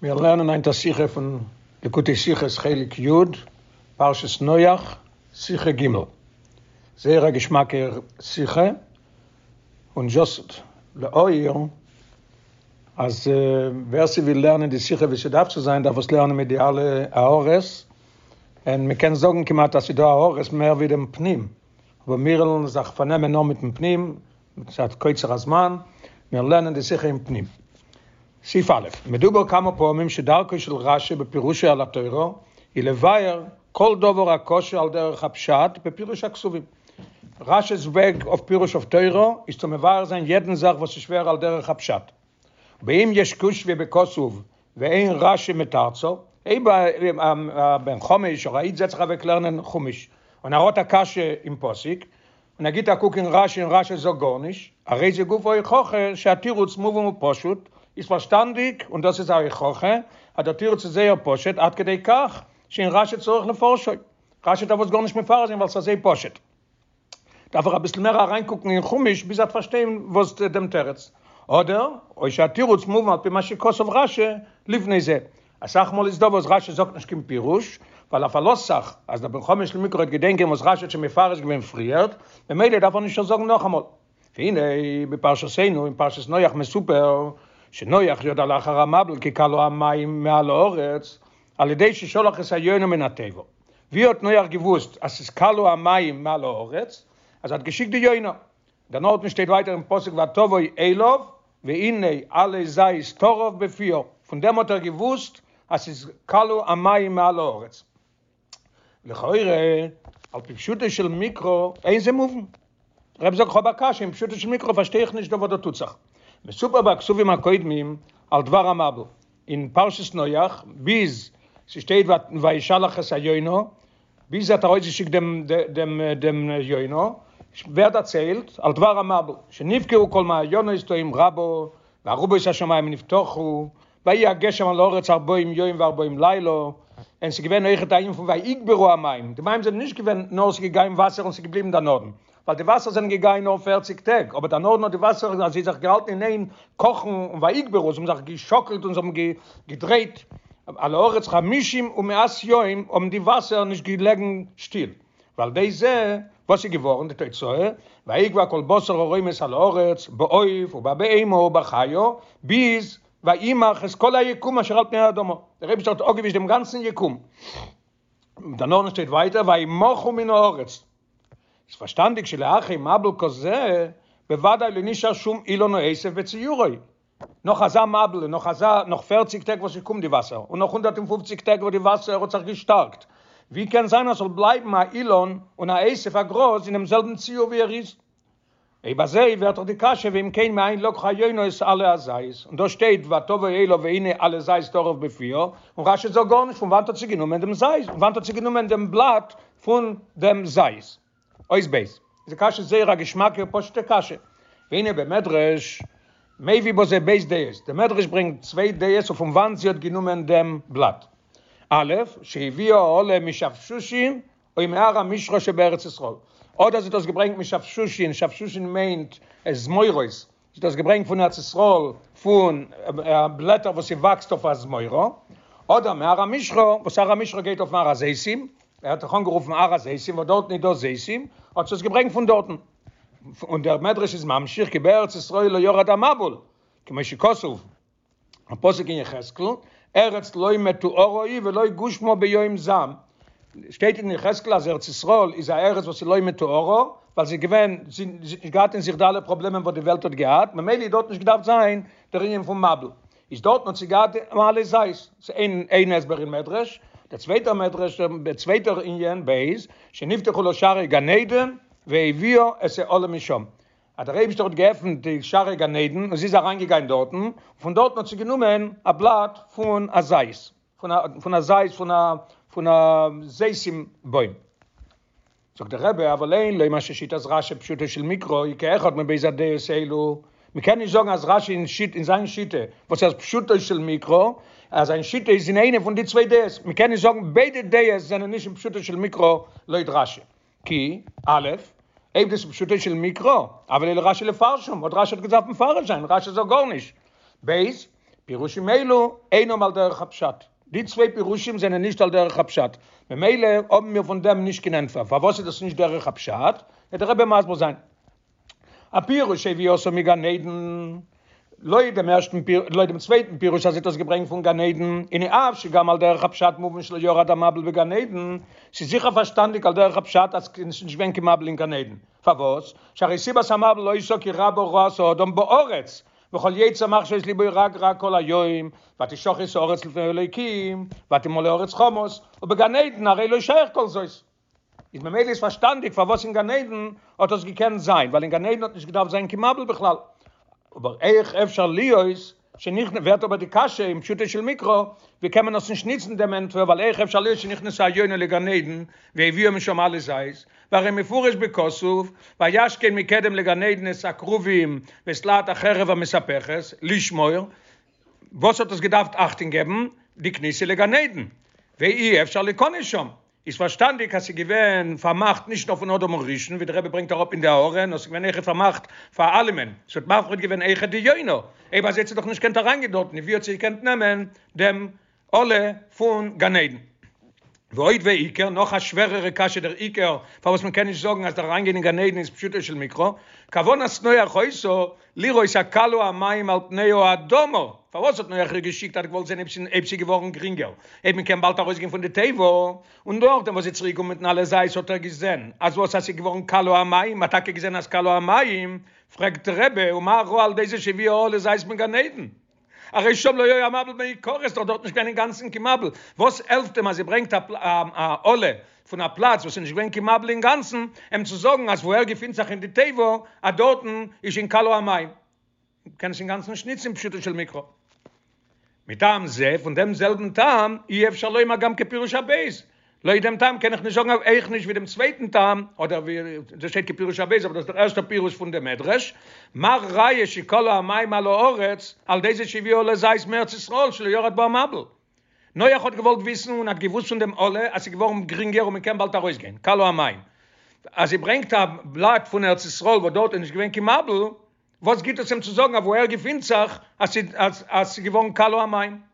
מיר לערנען היינט א שיחה פון ליקוטי שיחות חלק י', פרשת נח, שיחה ג', זייער א געשמאקע שיחה, און דזשאסט להעיר אז ווער ס'וויל לערנען די שיחה ווי ס'דארף צו זיין דארף עס לערנען מיט די אלע הערות, און מ'קען זאגן כמעט אז ס'דא הערות מער ווי דעם פנים, אבער מיר וועלן זיך פארנעמען נאר מיטן פנים, מצד קוצר הזמן, מיר לערנען די שיחה אין פנים. סעיף א', מדובר כמה פעמים שדרכו של רשי בפירושו על התורה היא לבאר כל דבר הקשה על דרך הפשט בפירוש הכתובים. רשי'ס וועג אויף פירוש אויף תורה איז צו מבאר זיין יעדן זאך וואס איז שווער על דרך הפשט. ואם יש קושיא בכתוב ואין רשי מתרצה, אויב א בן חמש אדער א איד זעצט זיך אוועק לערנען חומש און ער האט א קשיא אין פסוק, און ער גיט א קוק אין רשי און רשי זאגט גארנישט, הרי זה גופא הוכחה שהתירוץ מובן ופשוט, איז פארשטאנדיג און דאס איז א הוכחה אז דער תירוץ איז זייער פשוט עד כדי כך שאין רשי צריך לפרשו, רשי דארף עס גארנישט מפרש זיין ווייל ס'איז אזוי פשוט. דארף ער אביסל מער אריינקוקן אין חומש ביז ער וועט פארשטיין וואס דעם תירוץ. אדער או שהתירוץ מובן על פי מה שכתב רשי לפני זה, אסאך מאל איז דא וואס רשי זאגט נישט קיין פירוש, ווייל ער פארלאזט זיך אז דער בן חמש למקרא וועט געדענקען וואס רשי האט שוין מפרש געווען פריערט, ממילא דארף ער נישט זאגן נאכאמאל. והנה בפרשתנו אין פרשת נח מסופר שנח ידע לאחר המבול כי כלו המים מעל הארץ על ידי ששלח את היונה מן התיבה. ווי האט נח געוואוסט אז ס'איז כלו המים מעל הארץ? אז ער האט געשיקט די יונה. דערנאכדעם שטייט ווייטער אין פסוק ותבוא אליו והנה עלה זית טרף בפיה, פון דעם האט ער געוואוסט אז ס'איז כלו המים מעל הארץ. לכאורה על פי פשוטו של מקרא אין זה מובן. דער רבי זאגט כ'האב א קשיא אין פשוטו של מקרא פארשטיי איך נישט דא וואס דא טוט זיך. מסופר בכתובים הקודמים על דבר המבול אין פרשת נח ביז ס'שטייט וישלח את היונה ביז ער האט ארויסגעשיקט דעם דעם דעם יונה, ווערט דערציילט על דבר המבול, שנבקעו כל מעיינות תהום רבה, וארובות השמים נפתחו, ויהי הגשם על הארץ ארבעים יום וארבעים לילה, און ס'איז געווען אויכעט א ענין פון ויגברו המים, די מים זענען נישט געווען נאר ס'איז געגאנגען וואסער און ס'איז געבליבן דערנאכדעם, ווייל די וואסער זענען געגאנגען נאר פערציג טעג, אבער דערנאכדעם האט די וואסער אזוי זיך געהאלטן אין איין קאכן און ויגברו, זיי האבן זיך געשאקלט און זיי האבן געדרייט על הארץ חמישים ומאת יום האבן די וואסער נישט געלעגן שטיל, ועל ידי זה וואס איז געווארן די תוצאה, ויגוע כל בשר הרומש על הארץ בעוף ובבהמה ובחיה, ביז וימח את כל היקום אשר על פני האדמה, דער אייבערשטער האט אפגעווישט דעם גאנצן יקום. דערנאך שטייט ווייטער וימחו מן הארץ. איז פארשטאנדיג שלאחרי מבול כזה בוודאי לא נשאר שום אילן או עשב בציורו. נאך אזא מבול און נאך אזא נאך פערציג טעג וואס ס'קומט די וואסער און נאך 150 טעג וואס די וואסער האט זיך געשטארקט, ווי קען זיין אז ס'זאל בלייבן א אילן און א עשב א גראז אינעם זעלבן ציור ווי ער איז? אויב אזוי ווערט דאך די קשיא ואם כן מאין לקחה היונה את עלה הזית, און דא שטייט ותבא אליו והנה עלה זית טרף בפיה, און רשי זאגט גארנישט פון וואנט האט זי גענומען דעם זית, פון וואנט האט זי גענומען דעם בלאט פון דעם זית. אות ב' איז די קשיא זייער א געשמאקע פשוטע קשיא, והנה במדרש מביא בזה ב' דעות, דער מדרש ברענגט צוויי דעות אויף פון וואנט זי האט גענומען דעם בלאט, א' שהביאה העלה משפשושין או מהר המשחה שבארץ ישראל, אדער זי האט דאס געברענגט משפשושין, שפשושין מיינט זמורות, זי האט דאס געברענגט פון ארץ ישראל פון בלעטער וואס ס'וואקסט אויף א זמורה, אדער מהר המשחה, וואס הר המשחה גייט אויפן הר הזיתים, ער האט זיך אנגערופן הר הזיתים וואס דארטן איז דא זיתים, האט זי עס געברענגט פון דארטן. און דער מדרש איז ממשיך כי בארץ ישראל לא ירד המבול, כמו שכתוב, א פסוק אין יחזקאל, ארץ לא מטוארה היא ולא גושמה ביום זעם, שטייט אין יחזקאל אז ארץ ישראל איז א ארץ וואס איז לא מטוארה, ווייל זי איז געווען, זי האט נישט געהאט אין זיך די אלע פראבלעמען וואס די וועלט האט געהאט, ממילא איז דארט נישט געדארפט זיין דער ענין פון מבול, איז דארטן האט זי געהאט עלה זית, ס'איז איין איין הסבר אין מדרש, דער צווייטער מדרש, דער צווייטער ענין, ב', שנפתחו לה שערי גן עדן והביאה את העלה משם, אז דער אייבישטער האט געעפנט די שערי גן עדן און זי איז אריינגעגיין דארטן, און פון דארטן האט זי גענומען א בלאט פון א זית, פון א פון א זית פון א פון א זיתים בוים. זאגט דער רבי, אבל אין לומר ששיטת רשי פשוטו של מקרא היא כאחד מב' הדעות אלו, מען קען נישט זאגן אז רשי אין שיט אין זיין שיטה וואס איז פשוטו של מקרא, אז זיין שיטה איז אין איינע פון די צוויי דעות, מען קען נישט זאגן ביידע דעות זענען נישט אין פשוטו של מקרא לויט רשי. כי, א', אויב דאס איז פשוטו של מקרא, הוה ליה לרשי לפרשם, וואלט רשי האט געדארפט מפרש זיין, רשי זאגט גארנישט. ב', פירושים אלו אינם על דרך הפשט, די צוויי פירושים זענען נישט על דרך הפשט, ממילא האבן מיר פון דעם נישט קיין ענטפער, פארוואס איז דאס נישט דרך הפשט, וועט דער רבי מסביר זיין. הפירוש שהביאתה מגן עדן, לויט דעם ערשטן פיר, לויט דעם צווייטן פירוש אז זי האט עס געברענגט פון גן עדן, הנה אף שגם על דרך הפשט מובן שלא ירד המבול בגן עדן, ס'איז זיכער פארשטאנדיג על דרך הפשט אז ס'איז נישט געווען קיין מבול אין גן עדן, פארוואס? שהרי סיבת המבול היתה כי רבה רעת האדם בארץ, וכל יצר מחשבות לבו רק רע כל היום, ותשחת הארץ לפני האלוקים, ותמלא הארץ חמס, ובגן עדן הרי לא שייך כל זאת. איז ממילא איז פארשטאנדיג פארוואס אין גן עדן האט עס געקענט זיין, ווייל אין גן עדן האט נישט געדארפט זיין קיין מבול בכלל. אבער איך אפשר להיות שנכנ ווערט אבער די קשיא אין פשוטו של מקרא, ווי קען מען עס נישט ניצן דעם ענטפער, ווייל איך אפשר להיות שנכנסה היונה לגן עדן והביאה משם עלה זית, והרי מפורש בכתוב, וישכן מקדם לגן עדן את הכרובים ואת להט החרב המתהפכת, לשמור, וואס האט עס געדארפט אכטונג געבן? די כניסה לגן עדן, ואי אפשר ליכנס שם, איז פארשטאנדיג אז ס'איז געווען פארמאכט נישט נאר פון אדם הראשון, ווי דער רבי ברענגט אראפ אין די הערה, נאר ס'איז געווען אויכעט פארמאכט פאר אלעמען, ס'האט מפריד געווען אויכעט די יונה, אויב אזוי האט זי דאך נישט געקענט אריינגיין דארטן, ווי האט זי געקענט נעמען דעם עלה פון גן עדן? ועוד ועיקר, נאך א שווערערע קשיא דער עיקר פארוואס מען קען נישט זאגן אז דער אריינגיין אין גן עדן איז פשוטו של מקרא, כוונת נח היתה לראות הכלו המים על פני האדמה, פארוואס האט נח איר געשיקט האט געוואלט זען אויב ס'איז געווארן גרינגער, אויב מען קען באלד ארויסגיין פון די תיבה, און נאכדעם וואס זי איז צוריק געקומען מיטן עלה זית האט ער געזען אז וואס אז ס'איז געווארן כלו המים, מ'האט טאקע געזען אז כלו המים, פרעגט דער רבי ומה ראה על ידי זה שהביאה עלה זית מגן עדן? הרי שם לא היה המבול מעיקרא, ס'איז דאך דארט נישט געווען אינגאנצן קיין מבול, וואס העלפט אים אז זי ברענגט א עלה פון א פלאץ וואס איז נישט געווען קיין מבול אינגאנצן, אים צו זאגן אז וואו ער געפינט זיך אין די תיבה אז דארטן איז שוין כלו המים, קען עס אינגאנצן נישט ניצן פשוטו של מקרא. מטעם זה, פון דעם זעלבן טעם, אי אפשר לומר גם כפירוש הב', לויט דעם טעם קען איך נישט זאגן אויך נישט ווי דעם צווייטן טעם, אדער ווי דא שטייט כפירוש הב', אבער דאס איז דער ערשטער פירוש פון דעם מדרש, מה ראיה שכלו המים על הארץ על ידי זה שהביאה עלה זית מארץ ישראל שלא ירד בה המבול. נח האט געוואלט וויסן און האט געוואוסט פון דעם עלה אז ס'איז געווארן גרינגער און מ'קען באלד ארויסגיין, כלו המים. אז זי ברענגט א בלאט פון ארץ ישראל וואס דארט איז נישט געווען קיין מבול, וואס גיט עס אים צו זאגן אוואו ער געפינט זיך אז ס'איז געווארן כלו המים?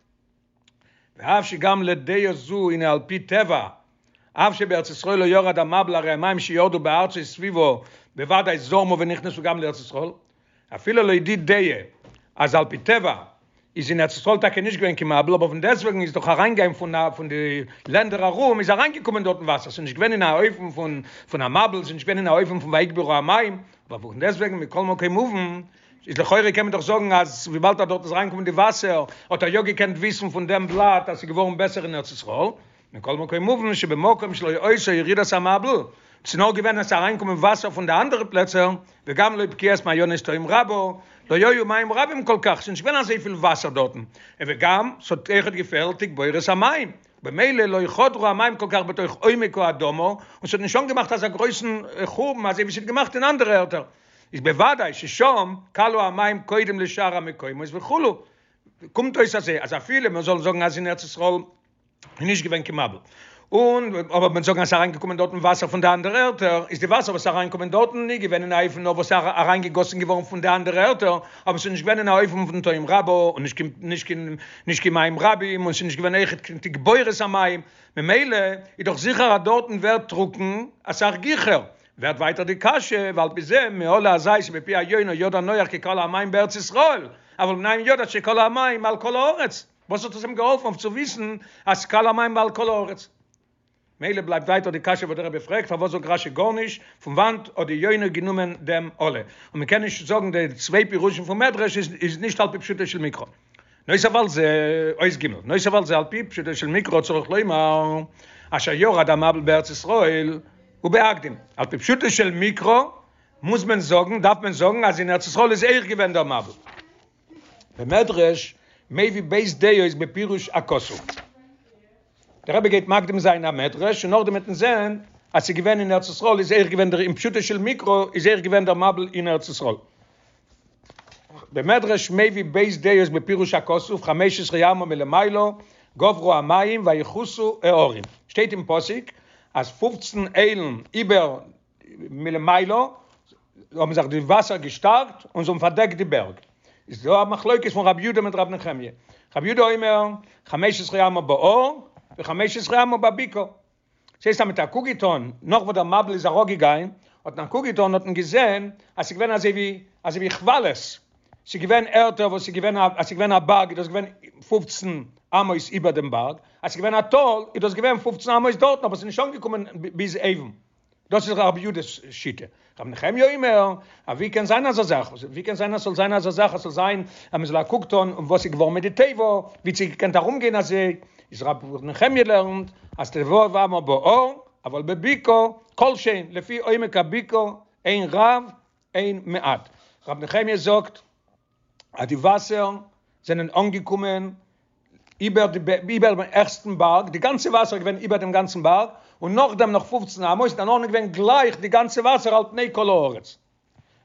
ואף שגם לדעה זו הנה על פי טבע, אף שבארץ ישראל לא ירד המבול הרי המים שירדו בארצות סביבה בוודאי זרמו ונכנסו גם לארץ ישראל, אפילו לויט די דעה אז על פי טבע איז אין ארץ ישראל טאקע נישט געווען קיין מבול אבער פון דעסטוועגן איז דאך אריינגיין פון פון די לענדער ארום איז אריינגעקומען דארטן וואסער ס'איז נישט געווען אין א אופן פון פון א מבול ס'איז נישט געווען אין א אופן פון ויגברו המים אבער פון דעסטוועגן מכל מקום מובן איז לכאורה קען מען דאך זאגן אז וויבאלד אז דארט איז אריינגעקומען די וואסער האט ער יא געקענט וויסן פון דעם בלאט אז ס'איז געווארן בעסער אין ארץ ישראל, מכל מקום מובן שבמקום שלא היתה ירידת המבול, ס'איז נאר געווען אז ס'איז אריינגעקומען וואסער פון די אנדערע פלעצער, וגם לא בקיעת מעיינות תהום רבה, לא היו מים רבים כל כך, ס'איז נישט געווען אזויפיל וואסער דארטן, וגם ס'האט אויכעט געפעלט תגבורת המים, במילא לא חדרו המים כל כך בתוך עומק האדמה, און ס'האט נישט אנגעמאכט אזא גרויסן חורבן אזוי ווי ס'האט געמאכט אין אנדערע ערטער. איז בוודאי ששם כלו המים קודם לשאר המקומות וכו', קומט אויס אזוי אז אפילו מען זאל זאגן אז אין ארץ ישראל איז נישט געווען קיין מבול, און אבער מען זאגן אז ס'איז אריינגעקומען דארטן וואסער פון די אנדערע ערטער, איז די וואסער וואס איז אריינגעקומען דארטן נישט געווען אין א אופן נאר וואס איז אריינגעגאסן געווארן פון די אנדערע ערטער, אבער ס'איז נישט געווען אין א אופן פון תהום רבה און נישט קיין נישט קיין נישט קיין מים רבים און ס'איז נישט געווען אויכעט קיין תגבורת המים, ממילא איז דאך זיכער אז דארטן ווערט טרוקן אסאך גיכער, ווערט ווייטער די קשיא, ועל פי זה מעלה הזית שבפי היונה ידע נח כי כלו המים בארץ ישראל, אבל מנין ידע שכלו המים על כל הארץ? וואס האט עס אים געהאלפן אויף צו וויסן אז כלו המים על כל הארץ? מילא בלייבט ווייטער די קשיא וואס דער רבי פרעגט, פארוואס זאגט רשי גארנישט, פון וואנט האט די יונה גענומען דעם עלה? און מען קען נישט זאגן די צוויי פירושים פון מדרש איז נישט על פי פשוטו של מקרא. נוסף על זה, אות ג', נוסף על זה על פי פשוטו של מקרא צריך לומר, אשר ירד המבול בארץ ישראל ובהקדים, על פי פשוטו של מקרא מוז מען זאגן, דארף מען זאגן אז אין ארץ ישראל איז אויך געווען דער מבול. במדרש מביא ב' דעות בפירוש הכתוב. דער רבי גייט מקדים זיין א מדרש און נאכדעם וועט מען זען אז ס'איז געווען אין ארץ ישראל איז אויך געווען דער אין פשוטו של מקרא איז אויך געווען דער מבול אין ארץ ישראל. במדרש מביא ב' דעות בפירוש הכתוב חמש עשרה אמה מלמעלה גברו המים ויכוסו ההרים, שטייט אין פסוק אז פופצן איילן איבער מלמעלה האבן זיך די וואסער געשטארקט און זיי האבן פארדעקט די בערג. איז דא א מחלוקת פון רבי יודא מיט רבי נחמיה. רבי יודא אומר חמש עשרה אמה בהר וחמש עשרה אמה בבקעה. ס'הייסט אז מ'האט א קוק געטון נאך וואס דער מבול איז אראפגעגיין, האט מען א קוק געטון האט מען געזען אז ס'איז געווען אזוי ווי אזוי ווי כוואלעס, ס'איז געווען ערטער וואס ס'איז געווען א אז ס'איז געווען א בארג איז דאס געווען פופצן אמות איבער דעם בארג, אז ס'איז געווען א טאל איז דאס געווען פופצן אמות דארטן אבער ס'איז נישט אנגעקומען ביז אויבן. דאס איז רבי יודא'ס שיטה. רבי נחמיה אומר, א ווי קען זיין אזא זאך? ווי קען זיין אז ס'זאל זיין אזא זאך אז ס'זאל זיין אז מ'זאל א קוק טון און וואס איז געווארן מיט די תיבה, ווי האט זי געקענט ארומגיין אזוי? איז רבי נחמיה לערנט אז ט"ו אמה בהר, אבל בבקעה כל שהן, לפי עומק הבקעה אין רב אין מעט. רבי נחמיה זאגט אז די וואסער זענען אנגעקומען איבער די איבער דעם העכסטן בארג, די גאנצע וואסער איז געווען איבער דעם גאנצן בארג, און נאכדעם נאך פופצן אמות, דערנאך איז געווען גלייך די גאנצע וואסער על פני כל הארץ.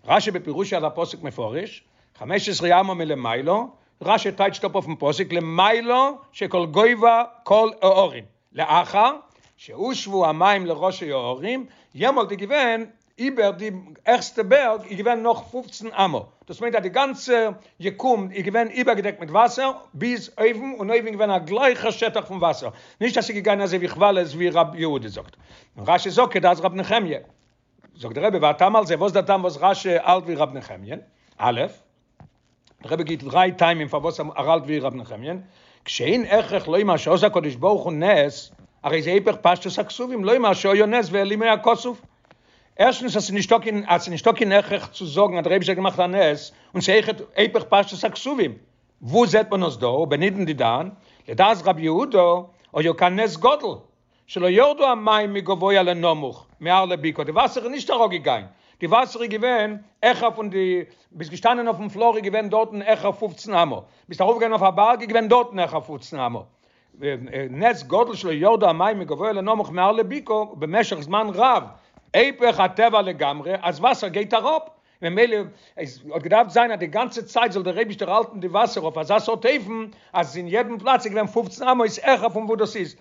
רשי בפירושו על הפסוק מפרש, חמש עשרה אמה מלמעלה, רשי טייטשט אפ אויפן פסוק למעלה שכל גובה כל ההרים, לאחר שהושוו המים לראשי ההרים, יעמאלט איז געווען איבער די העכסטע בערג איז געווען נאך פופצן אמה, דאס מיינט אז די גאנצע יקום איז געווען איבערגעדעקט מיט וואסער ביז אויבן, און אויבן איז געווען א גלייכער שטח פון וואסער, נישט אז ס'איז געגאנגען אזוי ווי כוואלעס ווי ר' יהודה זאגט, און רשי זאגט כדעת ר' נחמיה. זאגט דער רבי והטעם על זה, וואס דער טעם וואס רשי האלט ווי ר' נחמיה? א', דער רבי גיט דריי טעמים פארוואס ער האלט ווי ר' נחמיה, כשאין הכרח לומר שעשה הקדוש ברוך הוא נס, הרי זה היפך פשטות הכתובים לומר שהיה נס והעלימו הכתוב. ערשטנס אז ס'איז נישטא קיין אז ס'איז נישטא קיין הכרח צו זאגן אז דער אייבישטער האט געמאכט א נס, און ס'איז אויכעט היפך פשטות הכתובים. וואו זעט מען עס דא? ובנידון דידן, לדעת רבי יהודה, היה כאן נס גדול, שלא ירדו המים מגבוה לנמוך, מהר לבקעה, די וואסער איז נישט אראפגעגיין, די וואסער איז געווען העכער פון די, ביסט געשטאנען אויפן פלאר איז געווען דארטן העכער פופצן אמה, ביסט ארויפגעגאנגען אויף א בארג איז געווען דארטן העכער פופצן אמה, נס גדול שלא ירדו המים מגבוה לנמוך מהר לבקעה במשך זמן רב, היפך הטבע לגמרי אז וואסער גייט אראפ, ממילא עס האט געדארפט זיין אז די גאנצע צייט זאל דער אייבישטער האלטן די וואסער אויף אזא סארט אופן אז אין יעדן פלאץ איז געווען פופצן אמות העכער פון וואו דאס איז.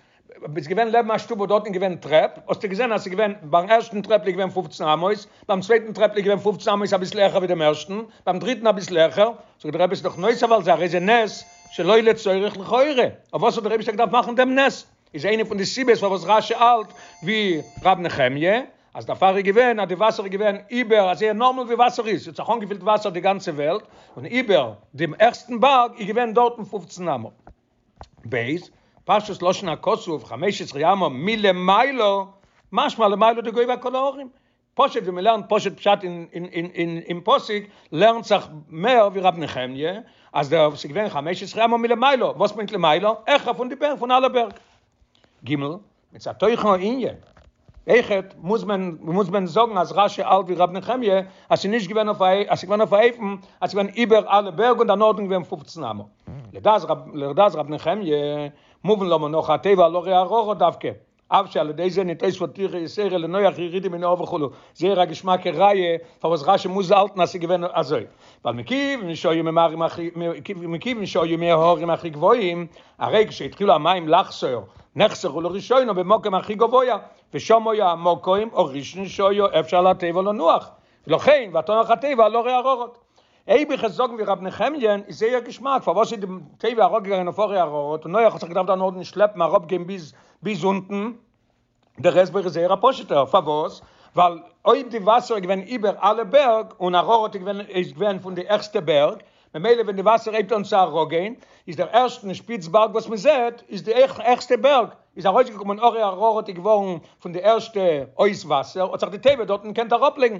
ביסט געווען לעבן א שטוב וואס דארטן איז געווען טרעפ, האסטו געזען אז ס'איז געווען, ביים ערשטן טרעפל איז געווען פופצן אמות, ביים צווייטן טרעפל איז געווען פופצן אמות אביסל העכער ווי דעם ערשטן, ביים דריטן אביסל העכער, זאגט דער רבי ס'איז דאך נוסף על זה הרי זה נס שלא לצורך לכאורה, אויף וואס האט דער אייבישטער געדארפט מאכן דעם נס? איז איינע פון די סיבות פארוואס רשי האלט ווי ר' נחמיה, אז דערפאר איז געווען אז די וואסער איז געווען איבער אזוי נארמאל ווי וואסער איז, ס'האט זיך אנגעפילט וואסער די גאנצע וועלט, און איבער דעם העכסטן בארג איז געווען דארטן פופצן אמה. ב. פשטות לשון הכתוב חמש עשרה אמה מלמעלה, משמע למעלה דגובה כל ההרים. פשוט ווי מ'לערנט פשוט פשט אין אין אין אין פסוק, לערנט זיך מער ווי ר' נחמיה, אז דער ס'איז געווען חמש עשרה אמה מלמעלה, וואס מיינט למעלה? העכער פון די בערג, פון אלע בערג. ג. מצד תוכן הענין, אויכעט מוז מען מוז מען זאגן אז רשי האלט ווי ר' נחמיה אז ס'איז נישט געווען אויף א אז ס'איז געווען אויף א אופן אז ס'איז געווען איבער אלע בערג און דערנאכדעם געווען פופצן אמה. לדעת רב לדעת ר' נחמיה מובן למה נחה התיבה על הרי אררט דווקא, אף שעל ידי זה נתוספה טירחא יתירה לנח ירידה מן ההר וכו', זייער א געשמאקע ראיה פארוואס רשי מוז האלטן אז ס'איז געווען אזוי, ווייל מכיוון שהיו מהרים הכי מכיוון שהיו מהרים הכי גבוהים, הרי כשהתחילו המים לחסור, נחסרו לראשונה במקום הכי גבוה, ושם היה המקום הראשון שהיה אפשר לתיבה לנוח, ולכן ותנח התיבה על הרי אררט. אויב איך וועל זאגן ווי ר' נחמיה'ן איז זייער געשמאק, פארוואס איז די תיבה אראפגעגאנגען אויף הרי אררט און נח האט זיך געדארפט דערנאכדעם שלעפן אראפגיין ביז ביז אונטן, דער הסבר איז זייער א פשוט'ער, פארוואס? ווייל אויב די וואסער איז געווען איבער אלע בערג, און אררט איז געווען איז געווען פון די העכסטע בערג, ממילא ווען די וואסער הייבט אן צו אראפגיין, איז דער ערשטן שפיץ בארג וואס מען זעט, איז די העכסטע בערג, איז ארויסגעקומען הרי אררט איז געווארן פון די ערשטע אויס וואסער, האט זיך די תיבה דארטן געקענט אראפלייגן.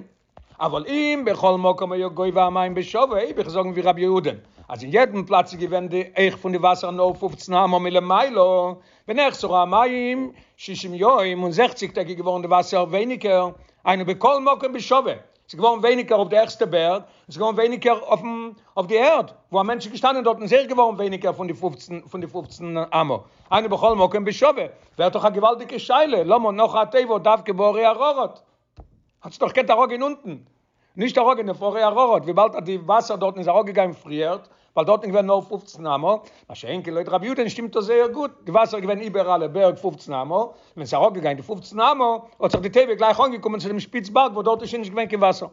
אבל אם בכל מקום היה גובה המים בשווה, אויב איך זאגן ווי רבי יהודה, אז אין יעדן פלאץ איז געווען די הייך פון די וואסער נאר פופצן אמה מלמעלה, ונחסרו המים שישים יום, און זעכציג טעג איז געווארן די וואסער ווייניגער, היינו בכל מקום בשווה, ס'איז געווארן ווייניגער אויף די העכסטע בערג, און ס'איז געווארן ווייניגער אויפן אויף די ערד, וואו א מענטש איז געשטאנען דארטן איז אויך געווארן ווייניגער פון די פופצן פון די פופצן אמה, היינו בכל מקום בשווה, ווערט דאך א געוואלדיגע שאלה, למה נחה התיבה דווקא בהרי אררט? האט זיך דאך געקענט אראפגיין אונטן, נישט אראפגיין אויף הרי אררט, וויבאלד אז די וואסער דארטן איז אראפגעגאנגען פריערט, ווייל דארטן איז געווען נאר פופצן אמה, מה שאין כן לויט רבי יהודה'ן שטימט דאס זייער גוט, די וואסער איז געווען איבער אלע בערג פופצן אמה, ווען ס'איז אראפגעגאנגען די פופצן אמה, האט זיך די תיבה גלייך אנגעקומען צו דעם שפיץ בארג וואס דארט איז שוין נישט געווען קיין וואסער.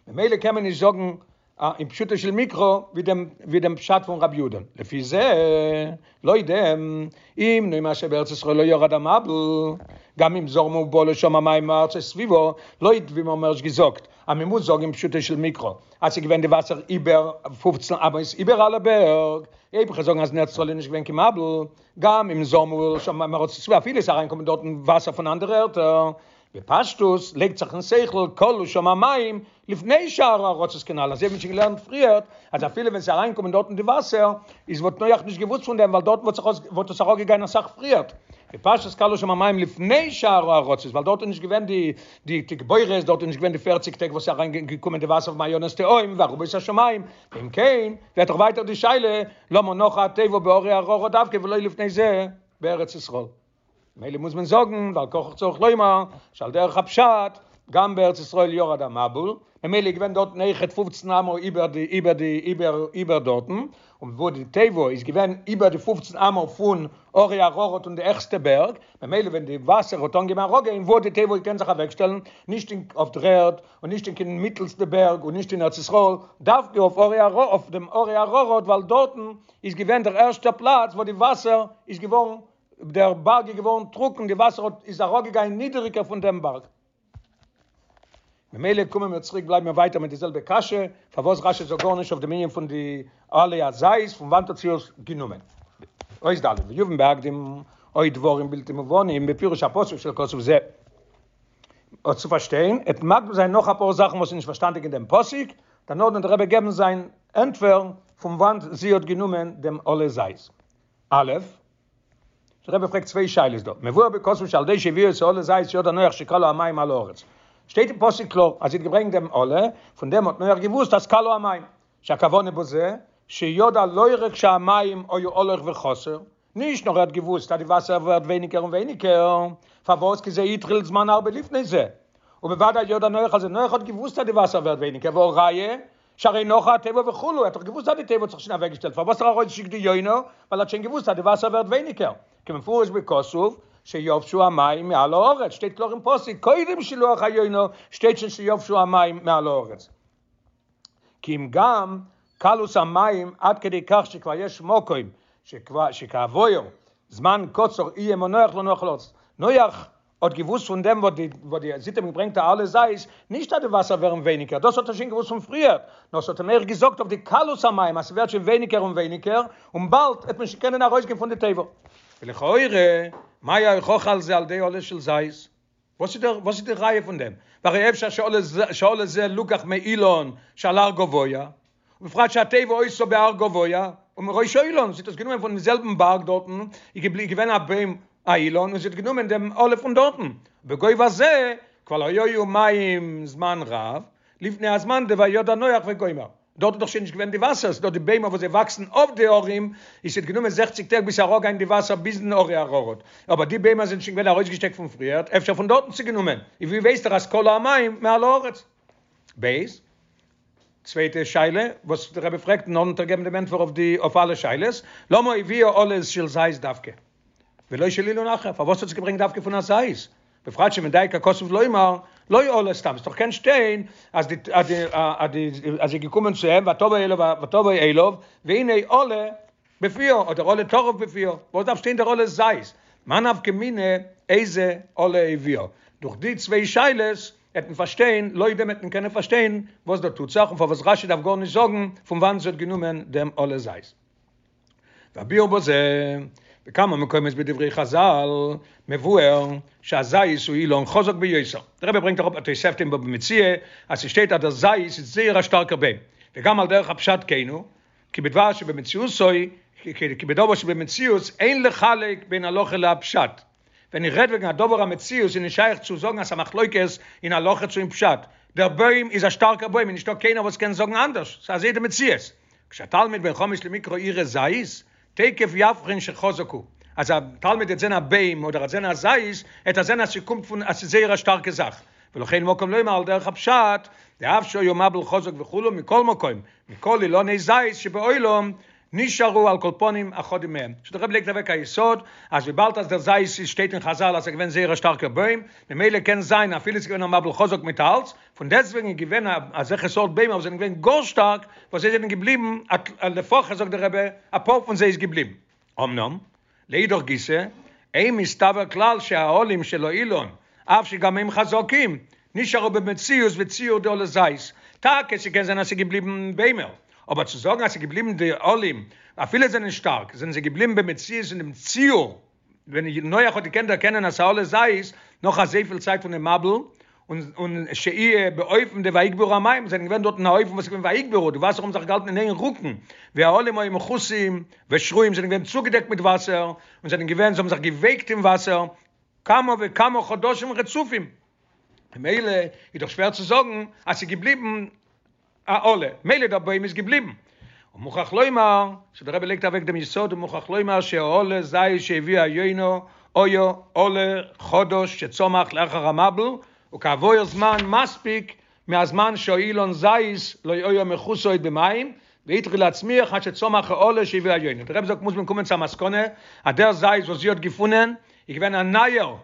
ממילא קען מען נישט זאגן. אין פשוטו של מקרא ווי דעם ווי דעם פשט פון רבי יהודה'ן. לפי זה, לויט דעם, אם נאמר שבארץ ישראל לא ירד המבול, גם אם זרמו ובאו לשם המים מארצות סביבה, לויט ווי מיר האבן ערשט געזאגט אז מען מוז זאגן אין פשוטו של מקרא אז ס'איז געווען די וואסער איבער פופצן אמות איבער אלע בערג, אויב כ'וועל זאגן אז אין ארץ ישראל איז נישט געווען קיין מבול, גם אם זרמו ובאו לשם המים מארצות סביבה אפילו ס'איז אריינגעקומען דארטן וואסער פון אנדערע ערטער, בפשטות לייגט זיך אין שכל כלו שם המים לפני שאר הארצות כנ"ל, אזוי האט מען שוין געלערנט פריערט אז אפילו ווען ס'איז אריינגעקומען דארטן די וואסער איז וואלט נח נישט געוואוסט פון דעם ווייל דארטן וואלט זיך וואלט עס אראפגעגאנגען אסאך פריערט, בפשטות כלו שם המים לפני שאר הארצות ווייל דארט איז נישט געווען די די תגבורת, דארט איז נישט געווען די פערציג טעג וואס איז אריינגעקומען די וואסער פון מעיינות תהום וארובות השמים, ואם כן ווערט דאך ווייטער די שאלה למה נחה התיבה בהרי אררט דווקא ולא לפני זה בארץ ישראל. מילא מוז מען זאגן, ועל כרחך צריך לומר, שעל דרך הפשט, גם בארץ ישראל ירד המבול, ממילא איז געווען דארטן אויכעט פופצן אמה איבער די איבער די איבער איבער דארטן, און וואו די תיבה איז געווען איבער די פופצן אמה פון הרי אררט און די העכסטע בערג, ממילא ווען די וואסער האט אנגעהויבן אראפגיין וואו האט די תיבה געקענט זיך אוועקשטעלן, נישט אין אויף דר'ערד, און נישט אין קיין מיטלסטע בערג, און נישט אין ארץ ישראל, דווקא אויף הרי אררט אויף דעם הרי אררט ווייל דארטן איז געווען דער ערשטער פלאץ וואו די וואסער איז געווארן דער בארג איז געווארן טרוקן, די וואסער האט איז אראפגעגאנגען נידעריגער פון דעם בארג. ממילא קומען מיר צוריק בלייבן מיר ווייטער מיט די זעלבע קשיא, פארוואס רשי זאגט גארנישט אויף דעם ענין פון די עלי הזית, פון וואנט האט זי עס גענומען? אות ד' ויובן בהקדים עוד דברים בלתי מובנים בפירוש הפסוק של כתוב זה. אויף צו פארשטיין, עט מקדים זיין נאך אפאר זאכן וואס איז נישט פארשטאנדיג אין דעם פסוק, דערנאך וועט דער רבי געבן זיין ענטפער פון וואנט זי האט גענומען דעם עלי זית. א', דער רבי פרעגט צוויי שאלות דא, מבואר בכתוב שעל ידי שהביאה את העלה זית ידע נח שכלו המים מעל הארץ, שטייט אין פסוק קלאר אז זי האט געברענגט דעם עלה, פון דעם האט נח געוואוסט אז כלו המים, שהכוונה בזה שידע לא רק שהמים היו הולך וחסר, נישט נאר ער האט געוואוסט אז די וואסער ווערט ווייניגער און ווייניגער, פארוואס כי זה התחיל זמן הרבה לפני זה, ובוודאי ידע נח אז נח האט געוואוסט אז די וואסער ווערט ווייניגער, והא ראיה שהרי נחה התיבה וכו', ער האט דאך געוואוסט אז די תיבה האט זיך שוין אוועקגעשטעלט, פארוואס האט ער ארויסגעשיקט די יונה? ווייל ער האט שוין געוואוסט אז די וואסער ווערט ווייניגער, כמפורש בכתוב שיבשו המים מעל הארץ, שטייט קלאר אין פסוק קודם שילוח היונה שטייט שוין שיבשו המים מעל הארץ. כי אם גם קלות המים עד כדי כך שכבר יש מקום שכעבור זמן קצר יהיה מנוח לנוח על הארץ. נח האט געוואוסט פון דעם וואס די וואס די זי האט אים געברענגט א עלה זית, נישט אז די וואסער ווערן ווייניגער, דאס האט ער שוין געוואוסט פון פריער, נאר ס'האט אים אויך געזאגט אויף די קלות המים אז ס'ווערט שוין ווייניגער און ווייניגער, און באלד וועט מען שוין קענען ארויסגיין פון די תיבה. ולכאורה, מהי ההוכחה על זה על ידי עלה של זית? וואס איז דער וואס איז די ראיה פון דעם? והרי אפשר שעלה זה לוקח מאילן שעל הר גבוה, ובפרט שהתיבה היתה בהר גבוה, ומראש האילן, זי האט עס גענומען פונעם זעלבן בארג דארטן, איז געווען א בוים א אילן, און זי האט גענומען דעם עלה פון דארטן, בגובה זה כבר לא היו מים זמן רב, לפני הזמן דוידע נח וגומר, דארט איז דאך שוין נישט געווען די וואסער, ס'איז דא די ביימער וואס זיי וואקסן אויף די הרים, איז ס'האט גענומען זעכציג טעג ביז ס'איז אראפגעגאנגען די וואסער ביזן הרי אררט, אבער די ביימער זענען שוין געווען ארויסגעשטעקט פון פריערט, אפשר פון דארטן צו גענומען, איז ווי ווייסט ער אז כלו המים מעל הארץ? ב. צווייטע שאלה וואס דער רבי פרעגט און נאכדעם וועט ער געבן דעם ענטפער אויף די אויף אלע שאלות, למה הביאה עלה של זית דווקא ולא של אילן אחר, פארוואס האט זי געברענגט דווקא פון א זית, בפרט שמדייק הכתוב לומר לא עלה סתם, ס'דאך קען שטיין אז די אז די אז די אז זי איז געקומען צו אים ותבא אליו ותבא אליו והנה עלה בפיה אדער עלה טרף בפיה, וואס דארף שטיין דער עלה זית? מאי נפקא מינה איזה עלה הביאה? דורך די צוויי שאלות העט מען פארשטיין, לויט דעם העט מען קענען פארשטיין וואס דא טוט זיך און פארוואס רשי דארף גארנישט זאגן פון וואנעט זי האט גענומען דעם עלה זית. והביאור בזה, בכמה מקומות בדברי חזל מבואר שהזית הוא אילן חזק ביותר. דער רבי ברענגט אראפ א תוספתא אין בבא מציעא אז ס'שטייט אז דער זית איז זייער א שטארקער בוים, וגם על דרך הפשט כן הוא, כי בדבר שבמציאותו, כי בדבר שבמציאות אין לחלק בין הלכה להפשט. ווען איך רעד וועגן א דבר המציאות איז נישט שייך צו זאגן אז ס'א מחלוקת אין הלכה צו אין פשט. דער בוים איז א שטארקער בוים און נישטא קיינער וואס קען זאגן אנדערש, ס'איז אזוי די מציאות. כשהתלמיד בן חמש למקרא יראה זית, תיכף יבחין שחזק הוא. אז א תלמיד וועט זען א בוים אדער וועט זען א זית, וועט ער זען אז ס'קומט פון אז ס'איז זייער א שטארקע זאך. ולכן מקום לומר על דרך הפשט, דאף שהיה מבול חזק וכו' מכל מקום, מכל אילני זית שבעולם נשארו על כל פנים אחדים מהם. סאו דער רבי לייגט אוועק א יסוד אז וויבאלד אז דער זית איז שטייט אין חזל אז ס'איז געווען זייער א שטארקער בוים, ממילא קען זיין אפילו ס'איז געווען א מבול חזק מיט אלץ, פון דעסטוועגן איז געווען אזעלכע סארט ביימער וואס זענען געווען גאר שטארק, וואס זיי זענען געבליבן, לפחות זאגט דער רבי, אפאר פון זיי איז געבליבן. אמנם, לאידך גיסא, אין מסתבר כלל שהעלים של האילן, אף שגם הם חזקים, נשארו במציאות וציור דעלה זית. טאקע ס'קען זיין אז ס'איז געבליבן ביימער, אבער צו זאגן אז ס'איז געבליבן די עלים, אפילו זענען שטארק, זענען זיי געבליבן במציאות אין דעם ציור, ווען נח האט געקענט דערקענען אז ס'איז א עלה זית נאך אזויפיל צייט פונעם מבול, און און שהיו באופן דויגברו המים, זענען געווען דארט אין א אופן וואס איז געווען ויגברו, די וואסער האבן זיך געהאלטן אין איין רוקן, והעלים היו מכוסים ושרויים זענען געווען צוגעדעקט מיט וואסער, און זענען געווען, זיי האבן זיך געווייקט אין וואסער כמה וכמה חדשים רצופים. ממילא איז דאך שווער צו זאגן אז ס'איז געבליבן א עלה, מילא דער בוים איז געבליבן. ומוכרח לומר, סאו דער רבי לייגט אוועק דעם יסוד ומוכרח לומר שהעלה זית שהביאה היונה היה עלה חדש שצמח לאחר המבול וכעבור זמן מספיק מהזמן שהאילן זית לא היה מכוסה עוד במים והתחיל להצמיח עד שצמח העלה שהביאה היונה. דער רבי זאגט מוז מען קומען צו א מסקנא אז דער זית וואס זי האט געפונען איז געווען א נייער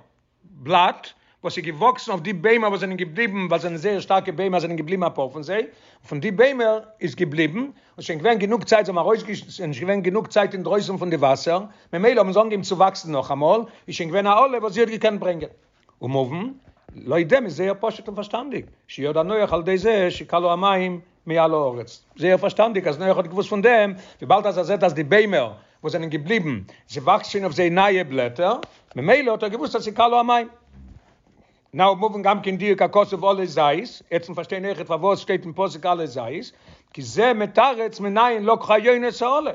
בלאט וואס איז געוואקסן אויף די ביימער וואס זענען געבליבן, ווייל זענען זייער שטארקע ביימער זענען געבליבן אפאר פון זיי, פון די ביימער איז געבליבן, און שוין געווען גענוג צייט זיי האבן ארויס ס'איז שוין געווען גענוג צייט אינדרויסן פון די וואסער, ממילא האבן זיי אנגעהויבן צו וואקסן נאכאמאל, איז שוין געווען א עלה וואס זי האט געקענט ברענגען. ומובן, לויט דעם איז זייער פשוט און פארשטאנדיג, שידע נח על ידי זה שכלו המים מעל הארץ. זייער פארשטאנדיג אז נח האט געוואוסט פון דעם, וויבאלד אז ער זעט אז די ביימער וואס זענען געבליבן, ס'וואקסט שוין אויף זיי נייע בלעטער, ממילא האט ער געוואוסט אז ס'כלו המים. נאו מובן גם כן דיוק הכתוב עלה זית, יעצט פארשטיין אויכעט פארוואס שטייט אין פסוק עלה זית, כי זה מתרץ מנין לקחה היונה את העלה.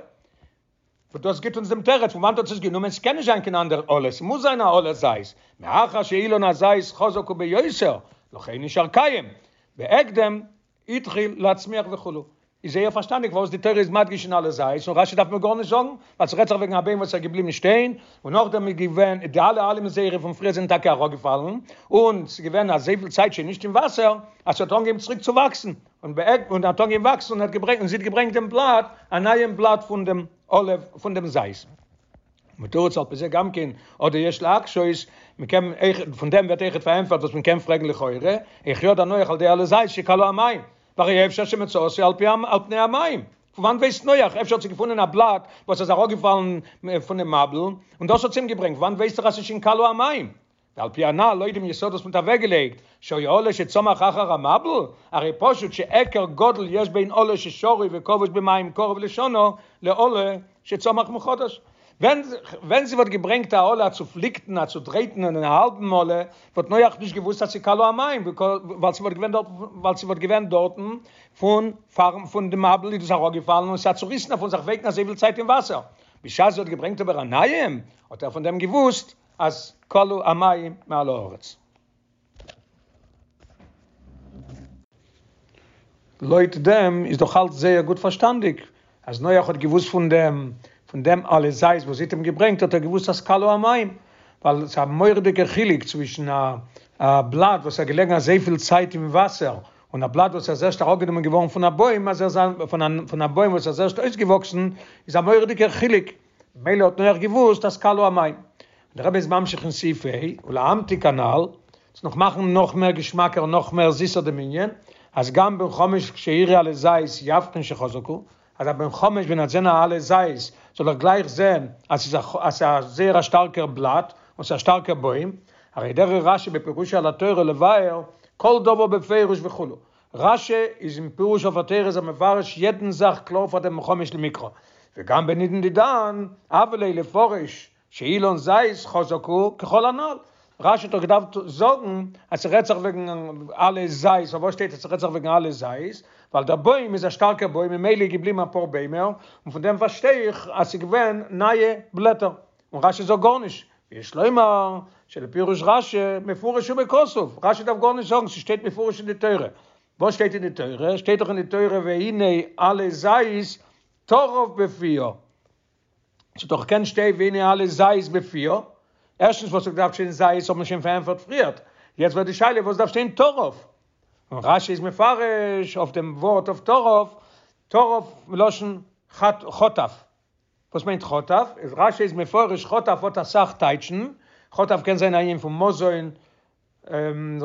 וואס דאס גיט אונז דעם תירוץ פון וואנעט האט זי עס גענומען, ס'קען נישט זיין קיין אנדער עלה, ס'מוז זיין א עלה זית, מאחר שאילן הזית חזק הוא ביותר, לכן נשאר קיים, בהקדם התחיל להצמיח וכו'. איז זייער פארשטאנדיג פארוואס די תורה איז מדגיש אין עלה זית, און רשי דארף מיר גארנישט זאגן, ווייל ס'רעדט זיך וועגן א בוים וואס איז געבליבן שטיין, און נאכדעם איז געווען, די אלע עלים זייערע פון פריער זענען טאקע אראפגעפאלן, און ס'איז געווען אזויפיל צייט שוין נישט אין וואסער, אז ס'האט אנגעהויבן צוריק צו וואקסן, און בעק און האט אנגעהויבן וואקסן און האט געברענגט און זי האט געברענגט דעם בלאט, א נייעם בלאט פון דעם עלה פון דעם זית. מתורץ על פי זה גם כן, אדער יש להקשות, מען קען אויך, פון דעם ווערט אויכעט פארענטפערט וואס מען קען פרעגן לכאורה, איך ידע נח על ידי עלה זית שכלו המים, והרי אפשר שמצאתו על פי על פני המים, פון וואנט ווייסט נח, אפשר האט זי געפונען א בלאט וואס איז אראפגעפאלן פונעם מבול, און דאס האט זי אים געברענגט, וואנט ווייסט ער אז ס'איז שוין כלו המים? ועל פי הנל, לויט דעם יסוד וואס מ'האט אוועקגעלייגט, שהיה עלה שצמח אחר המבול, הרי פשוט שהיכר גדול יש בין עלה ששרוי וכבוש במים קרוב לשנה, לעלה שצמח מחדש. ווען ווען זי וואלט געברענגט א עלה א צופליקטן, א צודרייטן און א האלבן עלה, וואלט נח נישט געוואוסט אז ס'כלו המים, ווייל ס'וואלט געווען דארט ווייל ס'וואלט געווען דארטן פון פארן פון די מבול איז דאס אראפגעפאלן און ס'איז א צוריסענער פון זיך ווייקן אזויפיל צייט אין וואסער. בשעת זי האט געברענגט אבער א נייעם, האט ער פון דעם געוואוסט אז כלו המים מעל הארץ. לויט דעם איז דאך אלץ זייער גוט פארשטאנדיג, אז נח האט געוואוסט פון דעם, פון דעם עלה זית וואס זי האט אים געברענגט האט ער געוואוסט אז כלו המים, ווייל ס'איז א מורא'דיגער חילוק צווישן א א בלאט וואס איז געלעגן אזויפיל צייט אין וואסער, און א בלאט וואס איז ערשט אראפגענומען געווארן פון א בוים, אז ער איז פון א בוים וואס איז ערשט אויסגעוואקסן, איז א מורא'דיגער חילוק. במילא האט נח געוואוסט אז כלו המים. דער רבי איז ממשיך אין סעיף ה', ולהמתיק הנל, צו נאך מאכן נאך מער געשמאקער און נאך מער זיסער דעם ענין, אז גם בן חמש כשיראה עלה זית יבחין שחזק הוא, אז א בן חמש ווען ער וועט זען א עלה זית זאל ער גלייך זען אז ס'איז א אז ס'איז א זייער א שטארקער בלאט און ס'איז א שטארקער בוים, הרי דרך רשי בפירושו על התורה לבאר כל דבר בפירוש וכו', רשי איז אין פירוש אויף התורה איז ער מפרש יעדן זאך קלאר פאר דעם בן חמש למקרא, וגם בנידון דידן, הוה ליה לפרש שאילן זית חזק הוא ככל הנל, רשי האט דאך געדארפט זאגן אז ס'רעדט זיך וועגן עלה זית, פארוואס שטייט אז ס'רעדט זיך וועגן עלה זית? ווייל דער בוים איז א שטארקער בוים ממילא איז געבליבן אפאר ביימער, און פון דעם פארשטיי איך אז ס'איז געווען נייע בלעטער, און רשי זאגט גארנישט, ויש לומר שלפירוש רשי מפורש הוא בכתוב, רשי דארף גארנישט זאגן, ס'שטייט מפורש אין די תורה. וואס שטייט אין די תורה? שטייט דאך אין די תורה והנה עלה זית טרף בפיה. ס'האט דאך געקענט שטיין והנה עלה זית בפיה. ערשטנס וואס האט געדארפט שטיין זית האט מען שוין פארענטפערט פריערט. יעצט ווערט די שאלה וואס דארף שטיין טרף? און רשי איז מפרש אויף דעם ווארט אויף טרף, טרף מלשון חטף. וואס מיינט חטף? איז רשי איז מפרש חטף האט אסאך טייטשן, חטף קען זיין א ענין פון מזון.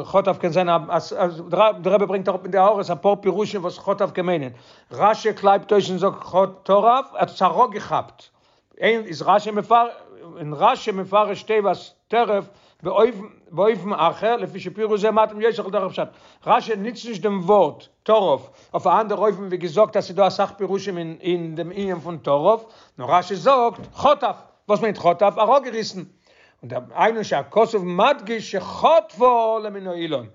חטף קען זיין אז דער רבי ברענגט אראפ אין די הערות אפאר פירושים וואס חטף קען מיינען. רשי קלייבט אויס און זאגט טרף, ער האט עס אראפגעכאפט. אין איז רשי מפר אין רשי מפרש תיבת טרף באופן באופן אחר לפי שפירוש זה מתאים יותר לדרך פשט. רשי ניצט נישט דעם ווארט טרף אויף א אנדער אופן ווי געזאגט אז ס'איז דא אסאך פירושים אין אין דעם ענין פון טרף, נאר רשי זאגט חטף. וואס מיינט חטף? אראפגעריסן. און דער היינו שהכתוב מדגיש שחטפה עלה מן האילן,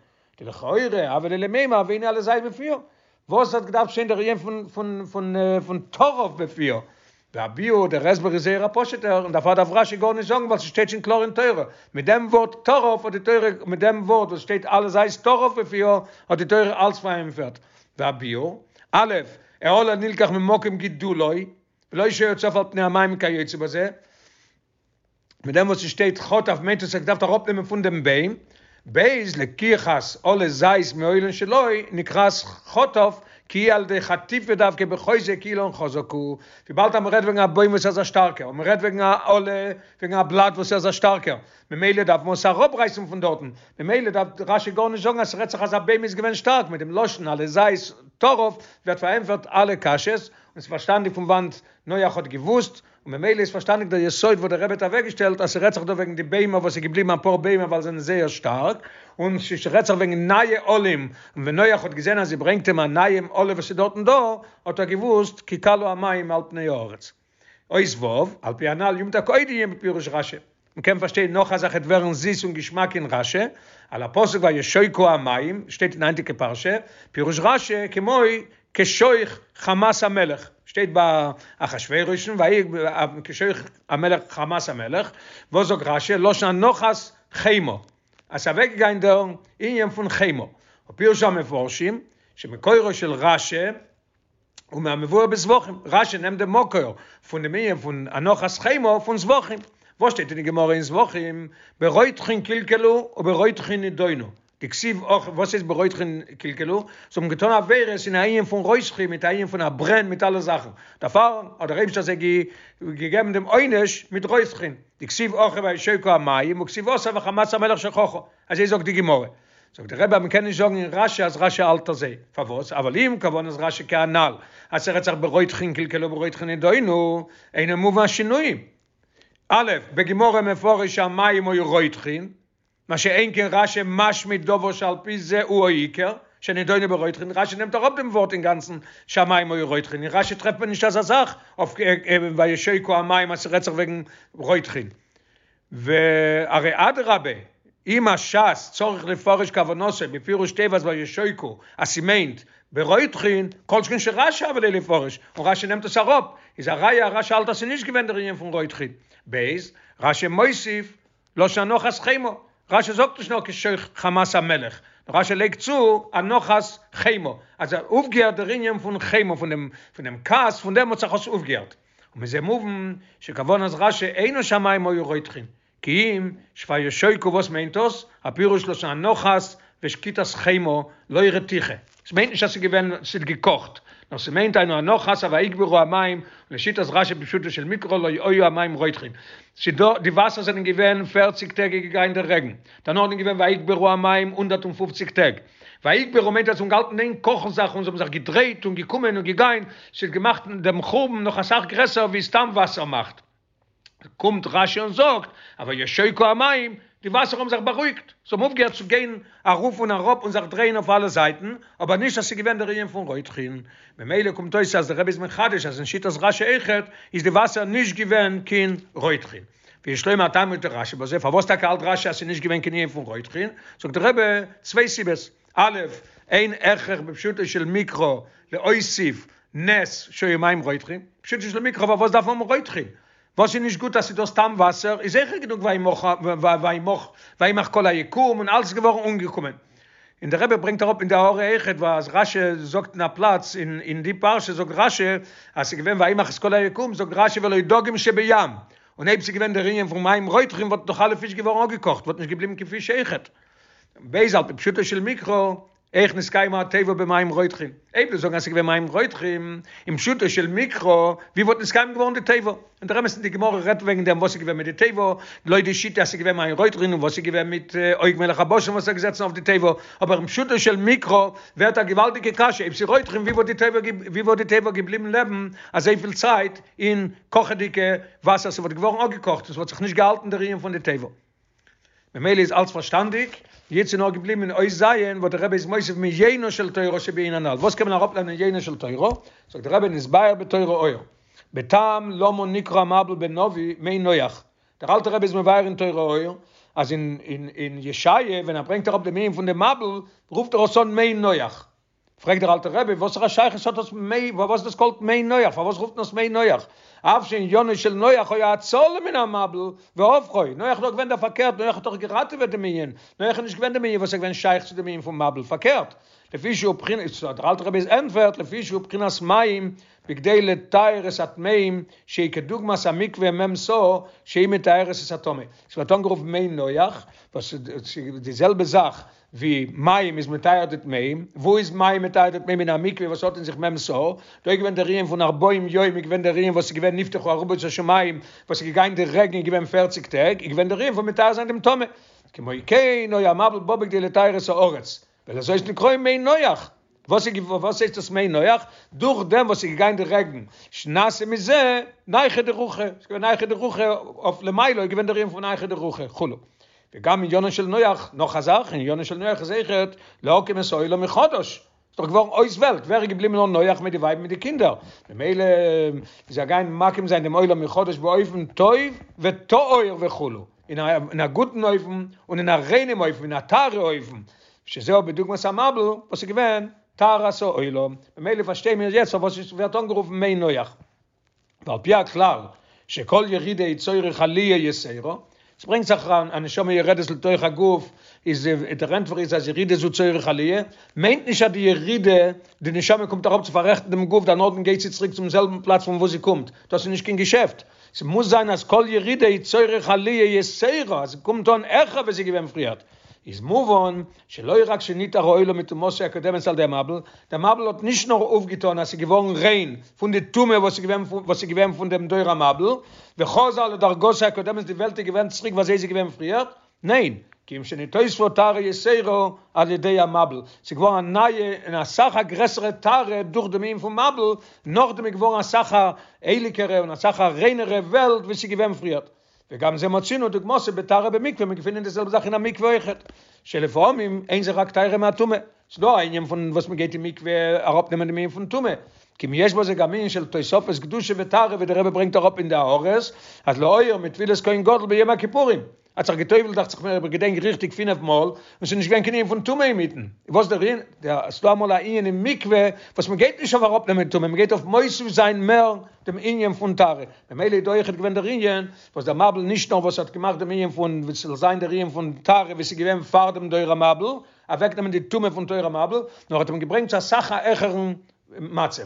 דלכאורה הוה ליה למימר והנה עלה זית בפיה, וואס האט געדארפט שטיין דער ענין פון פון פון פון טרף בפיה, והביאור דער הסבר איז זייער א פשוט'ער און דערפאר דארף רשי גארנישט זאגן ווייל ס'שטייט שוין קלאר אין תורה, מיט דעם ווארט טרף האט די תורה מיט דעם ווארט וואס שטייט עלה זית טרף בפיה האט די תורה אלץ פארענטפערט. והביאור, א', העלה נלקח ממקום גידולו, ולא שהיה צף על פני המים כיוצא בזה, מיט דעם וואס ס'שטייט חטף מיינט עס ער האט געדארפט אראפנעמען פון דעם ביים, ב' לקיחת עלה זית מהאילן שלו נקראת חטף כי היא על ידי חטיפה דווקא בחוזק כי אילן חזק הוא, וויבאלד אז מ'רעדט וועגן א בוים וואס איז א שטארקער און מ'רעדט וועגן א עלה וועגן א בלאט וואס איז א שטארקער ממילא דארף מען עס אראפרייסן פון דארטן, ממילא דארף רשי גארנישט זאגן אז ס'רעדט זיך אז א בוים איז געווען שטארק, מיט דעם לשון עלה זית טרף ווערט פארענטפערט אלע קשיות, און ס'איז פארשטאנדיג פון וואנט נח האט געוואוסט, און ממילא איז פארשטאנדיג דער יסוד וואס דער רבי האט אוועקגעשטעלט אז ס'רעדט זיך דא וועגן די ביימער וואס איז געבליבן אפאר ביימער ווייל זיי זענען זייער שטארק, און ס'רעדט זיך וועגן נייע עלים, און ווען נח האט געזען אז זי ברענגט אים א נייעם עלה וואס איז דארטן דא, האט ער געוואוסט כי כלו המים על פני הארץ. אות ו', על פי הנל יומתק עוד ענין בפירוש רשי. מ'קען פארשטיין נאך א זאך עט ווערן זיס און געשמאק אין רשי, על הפסוק וישכו המים, שטייט אין היינטיגע פרשה, פירוש רשי כמו כשוך חמת המלך, שטייט ביי אחשורוש ויהי כשוך המלך חמת המלך, וואס זאגט רשי, לשון אנחת חמה, אז ס'איז אוועקגעגאנגען דער ענין פון חמה, ופירשו המפרשים שמקורו של רשי, הוא מהמבואר בזבחים, רשי נעמט דעם מקור פון דעם ענין פון אנחת חמה פון זבחים, וואס שטייט אין די גמרא אין זבחים, ברותחין קלקלו וברותחין נידונו, דכתיב הכא, וואס איז ברותחין קלקלו? זיי האבן געטון עבירות אין א ענין פון רותחין מיט א ענין פון א ברען מיט אלע זאכן, דערפאר האט דער אייבערשטער זיי געגעבן דעם עונש מיט רותחין, דכתיב הכא וישכו המים וכתיב התם וחמת המלך שככה, אזוי זאגט די גמרא. זאגט דער רבי אז מען קען נישט זאגן אין רשי אז רשי האלט אזוי, פארוואס? אבל אם כוונת רשי כהנל, אז ס'רעדט זיך ברותחין קלקלו וברותחין נידונו, אינו מובן השינויים. א', בגמרא מפרש שהמים היו רותחין, מה שאין כן רשי משמיט דבר שעל פי זה הוא העיקר, שנידונו ברותחין, רשי נעמט אראפ דעם ווארט אינגאנצן שהמים היו רותחין, אין רשי טרעפט מען נישט אזא זאך אויף וישכו המים אז ס'רעדט זיך וועגן רותחין. והרי אדרבה, אם השס צריך לפרש כוונתו בפירוש תיבת וישכו אז ס'מיינט ברותחין, כל שכן שרשי הוה ליה לפרש, און רשי נעמט עס אראפ, איז א ראיה אז רשי האלט אז ס'נישט געווען דער ענין פון רותחין. ב. רשי מוסיף לשון אנחת חמה, רשי זאגט נישט נאר כשוך חמת המלך, נאר רשי לייגט צו אנחת חמה, אז ער אויפגעהערט דער ענין פון חמה, פון דעם פון דעם כעס, פון דעם האט זיך עס אויפגעהערט. ומזה מובן שכוונת רשי אינו שהמים היו רותחין, כי אם שוישכו וואס מיינט דאס? הפירוש לשון אנחת ושקיטת חמה לא רתיחה, ס'מיינט נישט אז ס'איז געווען ס'האט געקאכט, נאר ס'מיינט היינו אנחת ויגברו המים, לשיטת רשי בפשוטו של מקרא לא היו המים רותחין, ס'דא די וואסער זענען געווען פערציג טעג איז געגאנגען דער רעגן, דערנאך איז געווען ויגברו המים הונדערט און פופציג טעג, ויגברו מיינט אז זיי האבן געהאלטן אין קאכן זיך און זיי האבן זיך געדרייט און געקומען און געגיין, ס'האט געמאכט דעם חורבן נאך אסאך גרעסער ווי סתם וואסער מאכט. קומט רשי און זאגט, אז וישכו המים, די וואסער האבן זיך בארואיגט, זיי האבן אויפגעהערט צו גיין ארויף און אראפ און זיך דרייען אויף אלע זייטן, אבער נישט אז ס'איז געווען דער ענין פון רותחין. ממילא קומט אויס אז דער רבי איז מחדש אז אין שיטת רשי אויכעט איז די וואסער נישט געווען קיין רותחין. ויש לומר טעמא דרשי בזה, פארוואס טאקע האלט רשי אז ס'איז נישט געווען קיין ענין פון רותחין? זאגט דער רבי צוויי סיבות, א', אין הכרח בפשוטו של מקרא להוסיף נס שהיו מים רותחין, פשוטו של מקרא פארוואס דארף מען האבן רותחין? וואס איז נישט גוט אז ס'איז דא סתם וואסער איז זיכער גענוג וימח וימח כל היקום און אלס איז געווארן אומגעקומען. און דער רבי ברענגט אראפ אין די הערה אויכעט וואס רשי זאגט אין א פלאץ אין אין די פרשה זאגט רשי אז ס'איז געווען וימח את כל היקום זאגט רשי ולא דגים שבים און אויב ס'איז געווען דער ענין פון מים רותחין וואלט דאך אלע פיש געווארן אפגעקאכט וואלט נישט געבליבן קיין פיש אויכעט. ב' על פי פשוטו של מקרא. איך נתקיימה התיבה במים רותחים? אויב דו זאגן אז ס'איז געווען מים רותחים, אין פשוטו של מקרא, ווי וואלט נתקיים געווארן די תיבה? און דער אמת איז די גמרא רעדט וועגן דעם וואס איז געווען מיט די תיבה, לויט די שיטה אז ס'איז געווען מים רותחין און וואס איז געווען מיט עוג מלך הבשן וואס איז געזעצן אויף די תיבה, אבער אין פשוטו של מקרא ווערט א געוואלדיגע קשיא, אויב ס'איז רותחין ווי וואלט די תיבה ווי וואלט די תיבה געבליבן לעבן אזויפיל צייט אין קאכעדיגע וואסער, ס'וואלט געווארן אפגעקאכט און ס'וואלט זיך נישט געהאלטן דער ענין פון די תיבה. ממילא איז אלץ פארשטאנדיג, יעצט איז נאר געבליבן אין אות ז' וואס דער רבי איז מוסיף מיינה של תורה שבענין הנ"ל, וואס קען מען אראפלערנען יינה של תורה? זאגט דער רבי נתבאר בתורה אור, בטעם למה נקרא המבול בנביא מי נח, דער אלטער רבי איז מבאר אין תורה אור אז אין אין אין ישעיה ווען ער ברענגט אראפ דעם ענין פון דעם מבול רופט ער עס אן מי נח, פרעגט דער אלטער רבי, וואסערע שייכות האט דאס מי, פארוואס דאס קאלט מי נוח, פארוואס רופט מען עס מי נוח? אף שעניינו של נוח היה הצלה מן המבול והופכו, נוח איז דאך געווען דער פארקערט, נוח האט דאך געראטעוועט דעם ענין, נוח איז נישט געווען דעם ענין וואס איז געווען שייך צו דעם ענין פון מבול, פארקערט, לפי שהוא בחינת, דער אלטער רבי איז ענטפערט, לפי שהוא בחינת מים, בכדי לטהר את הטמאים, שהיא כדוגמת המקווה מ' סאה, שהיא מטהרת את הטמא. ס'ווערט אנגערופן מי נוח, וואס איז די זעלבע זאך ווי מים איז מטהר די טמאים, וואו איז מים מטהר די טמאים אין א מקווה וואס האט אין זיך מ' סאה, דא איז געווען דער ענין פון ארבעים יום איז געווען דער ענין וואס איז געווען נפתחו ארובות השמים, וואס איז געגאנגען די רעגן איז געווען פערציג טעג, איז געווען דער ענין פון מטהר זיין דעם טמא, כמו כן היה המבול בא בכדי לטהר את הארץ, ולזאת נקראים מי נוח, וואס איז וואס הייסט דאס מי נוח? דורך דעם וואס איז געגאנגען די רעגן, שנעשה מזה נייחא דרוחא, ס'איז געווען נייחא דרוחא אויף למעלה איז געווען דער ענין פון נייחא דרוחא כו'. וגם עניינו של נוח, נאך א זאך, עניינו של נוח איז אויכעט להקים את העולם מחדש, ס'איז דאך געווארן אויס וועלט, ווער איז געבליבן נאר נוח מיט די ווייב מיט די קינדער, ממילא איז ער געגאנגען מקים זיין דעם עולם מחדש באופן טוב וטהור וכו', אין א גוטן אופן און אין א ריינעם אופן, אין א טהרה אופן, שזהו בדוגמת המבול וואס איז געווען טהרת העולם, ממילא פארשטיי מיר יעצט פארוואס עס ווערט אנגערופן מי נוח. ועל פי הכלל שכל ירידה היא צורך עליה יתירה, עס ברענגט זיך א נשמה יורדת לתוך הגוף, איז דער ענטפער איז אז ירידה זו צורך עליה, מיינט נישט אז די ירידה, די נשמה קומט אראפ צו פאררעכטן דעם גוף דערנאכדעם גייט זי צוריק צום זעלבן פלאץ פון וואו זי קומט, דאס איז נישט קיין געשעפט, ס'מוז זיין אז כל ירידה היא צורך עליה יתירה, אז ס'קומט אן העכער ווי ס'איז געווען פריערט. איז מובן שלא רק שנטהר העולם מטומאתו הקודמת על ידי המבול, דער מבול האט נישט נאר אויפגעטון אז ס'איז געווארן ריין פון די טומאה וואס איז געווען וואס איז געווען פון דעם דור המבול, וחזר לדרגתו הקודמת די וועלט איז געווען צוריק ווי אזוי ס'איז געווען פריערט, ניין, כי אם שנתוספה טהרה יתירה על ידי המבול, ס'איז געווארן א נייע און אסאך א גרעסערע טהרה דורך דעם ענין פון מבול, נאכדעם איז געווארן אסאך א הייליגערע און אסאך א ריינערע וועלט ווי ס'איז געווען פריערט. וגם זה מצינו דוגמתו בטהרה במקווה, מיר געפינען די זעלבע זאך אין א מקווה אויכעט, שלפעמים אין זה רק טהרה מהטומאה, ס'איז דא א ענין פון וואס מ'גייט אין מקווה אראפנעמען דעם ענין פון טומאה, כי אם יש בזה גם ענין של תוספות קדושה וטהרה ווי דער רבי ברענגט אראפ אין די הערות אז להעיר מטבילת כהן גדול ביום הכיפורים, האט זיך געטובלט דאכט זיך מיר אויב איך געדענק ריכטיג פינף מאל, און ס'איז נישט געווען קיין ענין פון טומאה אינמיטן, וואס דער ענין, ס'איז דא אמאל א ענין אין מקווה וואס מ'גייט נישט אויף אראפנעמען טומאה, מ'גייט אויף מוסיף זיין מער דעם ענין פון טהרה, ממילא איז דא אויכעט געווען דער ענין וואס דער מבול נישט נאר וואס האט געמאכט דעם ענין פון ווי ס'זאל זיין דער ענין פון טהרה ווי ס'איז געווען פאר דעם דור המבול, אוועקנעמען די טומאה פון דור המבול, נאר האט אים געברענגט צו אסאך א העכערן מצב.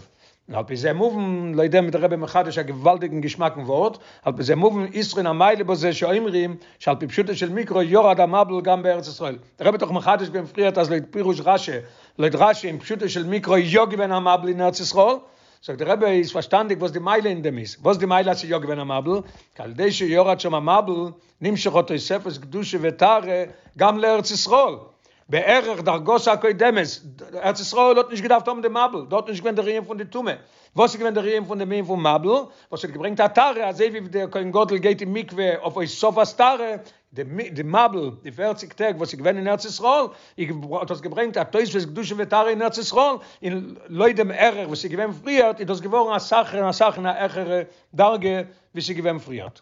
און על פי זה מובן, לויט דעם איז דער רבי מחדש א געוואלדיגן געשמאקן ווארט, על פי זה מובן יתרון המעלה בזה שאומרים שעל פי פשוטו של מקרא ירד המבול גם בארץ ישראל. דער רבי האט דאך מחדש געווען פריערט אז לויט פירוש רשי, לויט רשי אין פשוטו של מקרא איז יא געווען א מבול אין ארץ ישראל, זאגט דער רבי איז פארשטאנדיג וואס די מעלה אין דעם איז, וואס די מעלה אז ס'איז יא געווען א מבול, כי על ידי שירד שם המבול נמשכה תוספת קדושה וטהרה גם לארץ ישראל, בערך דרגתו הקודמת, ארץ ישראל האט נישט געדארפט האבן די מבול, דארט איז נישט געווען דער ענין פון די טומאה, וואס איז געווען דער ענין פון דעם ענין פון מבול, וואס האט געברענגט א טהרה, אזוי ווי דער כהן גדול גייט אין מקווה אויף הוספת טהרה, די מבול, די פערציג טעג וואס איז געווען אין ארץ ישראל, האט דאס געברענגט א תוספות קדושה וטהרה אין ארץ ישראל, און לויט דעם ערך וואס איז געווען פריערט, איז דאס געווארן אסאך און אסאך אין א העכערע דרגה ווי ס'איז געווען פריערט.